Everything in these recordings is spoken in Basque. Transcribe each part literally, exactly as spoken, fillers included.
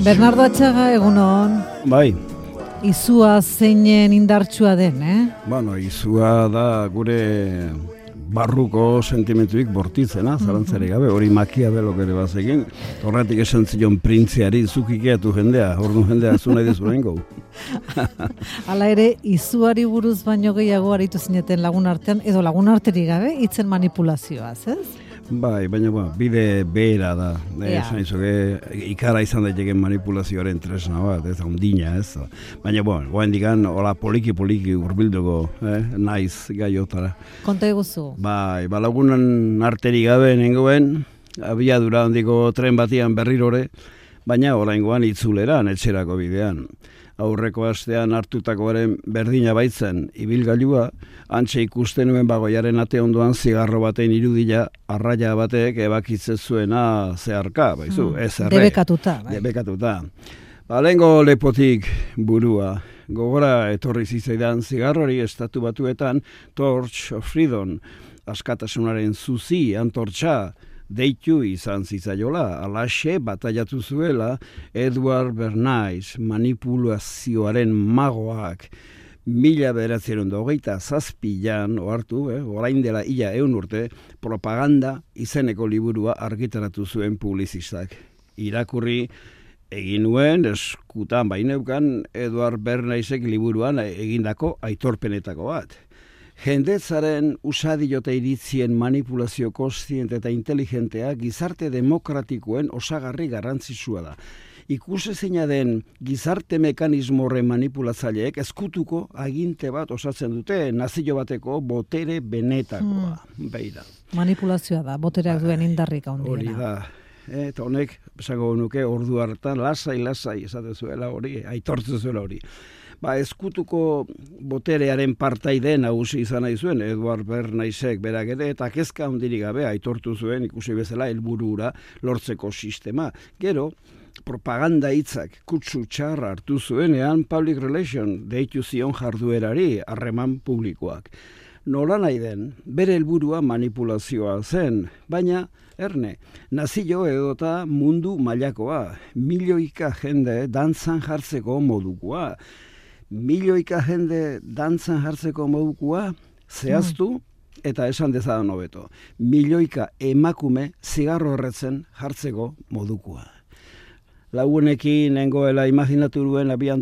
Bernardo Atxaga, egunon. Bai. Izua zeinen indartsua den, eh? Bueno, izua da gure barruko sentimentuik bortitzena, zalantzarik gabe, hori Makiavelok ere bazekin, horretik esan zion printziari zukikeatu jendea, ordu jendea zu nahi dezu nahingo. Hala ere, izuari buruz baino gehiago aritu zineten lagun artean, edo lagun arterik gabe, hitzen manipulazioaz, ez? Bai, baina bueno, bide behera da. Yeah. Esan izuke, ikara izan daiteken manipulazioaren tresna bat, ez ondina, ez. Baina, bueno, goen digan, hola poliki-poliki urbilduko, eh, naiz gaiotara. Konta eguzu. Bai, balagunan arterik gabe nengoen, abiadura handiko tren batian berrirore, baina oraingoan itzuleran, etxerako bidean. Aurreko astean hartutakoaren berdina baitzen ibilgailua, antxe ikusten nuen bagoiaren ate ondoan zigarro baten irudila arraia batek ebakitzen zuena zeharka, baizu, mm, ez erre. Debekatuta. Bai. Debekatuta. Ba, lehengo lepotik burua, gogora etorri zitzaidan zigarrori estatu batuetan Torch of Freedom, askatasunaren zuzi, antortxa, deitu izan zitzaiola, alaxe bataiatu zuela Edward Bernays manipulazioaren magoak mila bederatzieron da hogeita zazpilan ohartu, eh, orain dela ia eun urte, propaganda izeneko liburua argitaratu zuen publizistak. Irakurri egin nuen, eskutan baineukan Edward Bernaysek liburuan egindako aitorpenetako bat. Jendetzaren usadiote iritzien manipulazio kontziente eta inteligentea gizarte demokratikoen osagarri garrantzitsua da. Ikusezina den gizarte mekanismo horren manipulatzaileek ezkutuko aginte bat osatzen dute nazio bateko botere benetakoa. Hmm. Beira. Manipulazioa da, botereak duen indarrik handiena. Hori da. Eta honek, esango nuke, ordu hartan lasai-lasai esaten zuela hori, aitortzen zuela hori. Ba, ezkutuko boterearen partaide nagusi izan nahi zuen Edward Bernaysek berak ere, eta kezka handirik gabe aitortu zuen ikusi bezala helburura lortzeko sistema. Gero, propaganda hitzak kutsu txarra hartu zuenean public relation deitu zion jarduerari harreman publikoak. Nola nahi den, bere helburua manipulazioa zen, baina erne, nazio edota mundu mailakoa, milioika jende dantzan jartzeko modukoa. Milioika jende dantzan jartzeko modukoa zehaztu eta esan dezadan hobeto. Milioika emakume zigarro horretzen jartzeko modukoa. Lagunekin nengoela imaginatu duen abian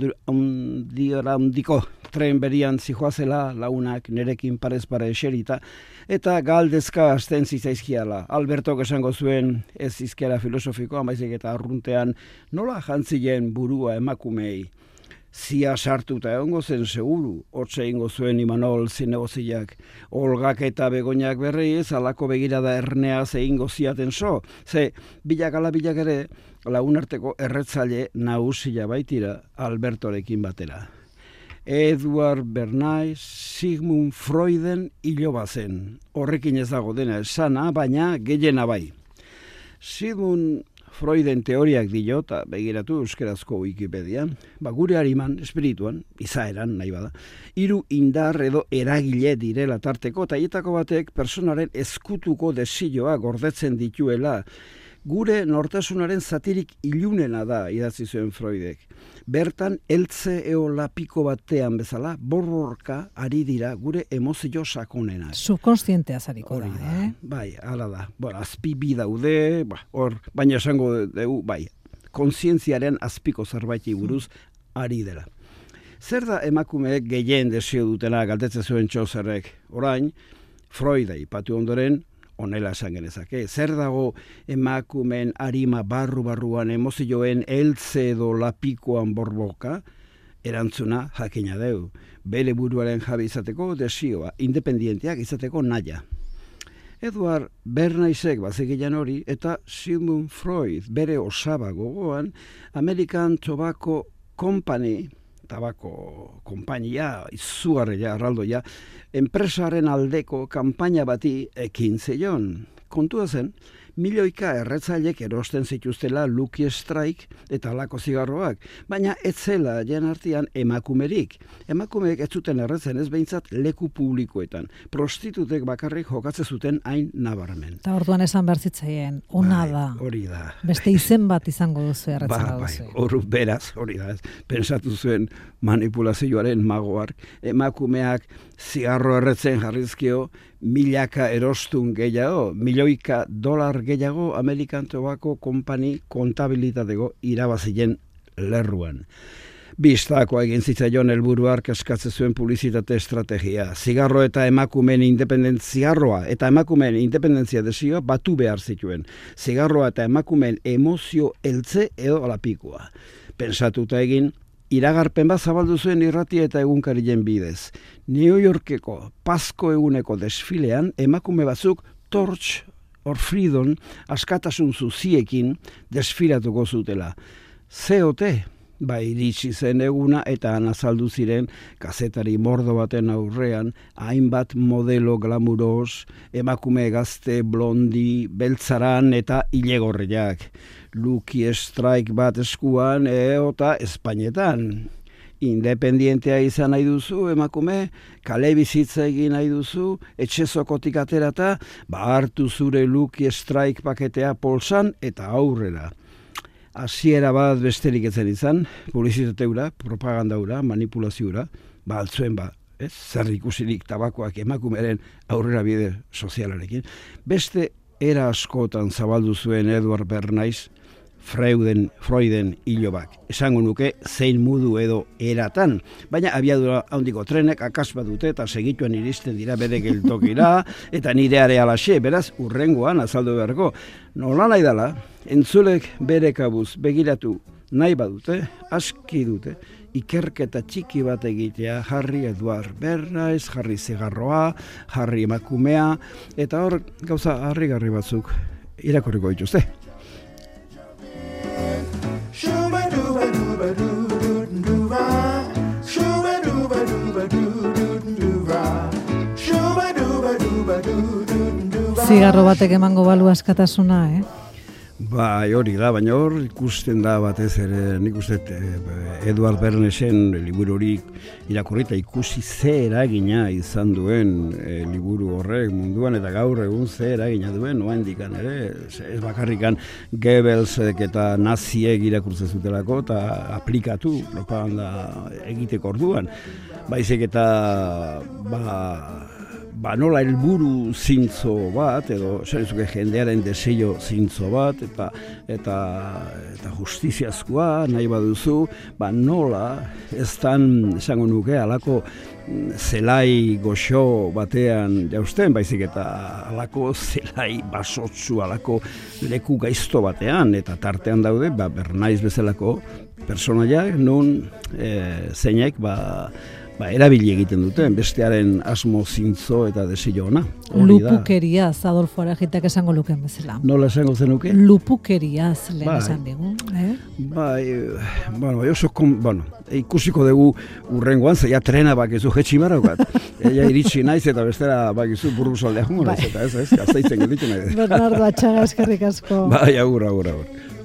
handiko tren berian zijoazela lagunak nerekin parez pare eserita eta galdezka hasten zitzaizkiala. Albertok esango zuen ez izkiara filosofikoa, baizik eta arruntean nola jantzilen burua emakumei. Zia sartuta egongo zen seguru, hortze ingo zuen Imanol zinegoziak, Olgak eta Begoñak berriz, alako begirada ernea zeingo ziaten so, ze bilak ala bilak ere lagunarteko erretzaile nagusia baitira Albertorekin batera. Edward Bernays Sigmund Freuden iloba zen, horrekin ez dago dena esana, baina gehiena bai. Sigmund Freuden teoriak dio, eta begiratu euskerazko Wikipedian, ba, gure hariman, espirituan, izaeran, nahi bada, hiru indar edo eragile direla tarteko, eta hietako batek personaren ezkutuko desioa gordetzen dituela. Gure nortasunaren zatirik ilunena da, idatzi zuen Freudek. Bertan, eltze eolapiko batean bezala, borrorka ari dira gure emozio sakonena. Subkonstientea zariko da, eh? Bai, hala da. Bueno, azpi bi daude, ba, hor, baina esango dugu, bai, kontzientziaren azpiko zerbaiti buruz ari dela. Zer da emakumeek gehien desio dutena galdetzen zuen Txoserrek? Orain, Freud aipatu ondoren, honela esan genezake. Zer dago emakumeen arima barru-barruan emozioen eltze edo lapikoan borboka? Erantzuna jakina deu. Bere buruaren jabe izateko desioa, independienteak izateko naia. Edward Bernaysek bazegilan hori eta Sigmund Freud bere osaba gogoan American Tobacco Company, tabako konpainia, izugarria, arraldoia, enpresaren aldeko kanpaina bati ekin zeion. Kontua zen, milioika erretzailek erosten zituztela Lucky Strike eta alako zigarroak, baina ez zela jen artean emakumerik. Emakumeek ez zuten erretzen ez behintzat leku publikoetan. Prostitutek bakarrik jokatze zuten hain nabarmen. Eta orduan esan behar zitzaien, ona da. Hori da. Beste izen bat izango duzu erretzen ba, duzu. Bai, hor beraz, hori da. Pensatu zuen manipulazioaren magoak. Emakumeak zigarro erretzen jarrizkio, milaka erostun gehiago, milioika dolar gehiago American Tobacco Company kontabilitateko irabazien lerruan. Bistakoa egin zitzaion helburuak eskatzen zuen publizitate estrategia. Zigarro eta emakumeen independentziarroa eta emakumeen independentzia desioa batu behar zituen. Zigarroa eta emakumeen emozio heltze edo alapikoa. Pensatuta egin, iragarpen bat zabaldu zuen irratia eta egunkarien bidez. New Yorkeko Pazko eguneko desfilean emakume batzuk Torch or Freedom askatasun zuziekin desfilatuko zutela. C O T ba iritsi zen eguna eta azaldu ziren kazetari mordo baten aurrean hainbat modelo glamuros, emakume gazte blondi, beltzaran eta ilegorriak. Lucky Strike bat eskuan eta Espainetan. Independientea izan nahi duzu, emakume, kale bizitza egin nahi duzu, etxezokotik aterata, ba hartu zure Lucky Strike paketea polsan eta aurrera. Hasiera bat besterik etzen izan, publizitateura, propagandaura, manipulazioura, ba altzuen ba, ez? Zer ikusirik tabakoak emakumeren aurrera bide sozialarekin. Beste era askotan zabaldu zuen Edward Bernays, Freuden, Freuden hilobak. Esango nuke zein modu edo eratan, baina abiadura handiko trenek akasba dute eta segituen iristen dira bere geltokira eta nire arealaxe, beraz urrengoan azaldu beharko. Nola nahi dala, entzulek bere kabuz begiratu nahi badute, aski dute, ikerketa txiki bat egitea, jarri Edward Bernays, jarri zigarroa, jarri emakumea, eta hor gauza harrigarri batzuk irakurriko dituzte. Zigarro batek emango balu askatasuna, eh? Bai, hori da, baina hor ikusten da batez ere, nik uste Edward Bernaysen liburu hori irakurrita ikusi ze eragina izan duen e, liburu horrek munduan eta gaur egun ze eragina duen, noaindikan ere, ez bakarrikan Goebbelsek eta naziek irakurtzen zutelako eta aplikatu propaganda egiteko orduan. Baizik eta ba ba nola helburu zintzo bat edo zerezuke jendearen desio zintzo bat eta eta eta justiziazkoa nahi baduzu, ba nola eztan esango nuke halako zelai goxo batean jausten, baizik eta halako zelai basotsu, halako leku gaizto batean, eta tartean daude ba Bernays bezalako personaiak non e, zeinek ba Ba, erabili egiten duten, bestearen asmo zintzo eta desio ona. Lupukeriaz, Adolfo Aragitak esango luken bezala. Nola esango zenuke? Lupukeriaz, lehen esan digu. Eh? Bai, bueno, oso, bueno, ikusiko dugu urrengoan, zeia trena bakizu jetximarokat. Ella iritsi naiz eta bestera bakizu burru soldea jungo naiz, eta ez, ez, gaztaitzen gelditu nahi. Bernardo Atxaga, eskerrik asko. Bai, agur, agur, agur.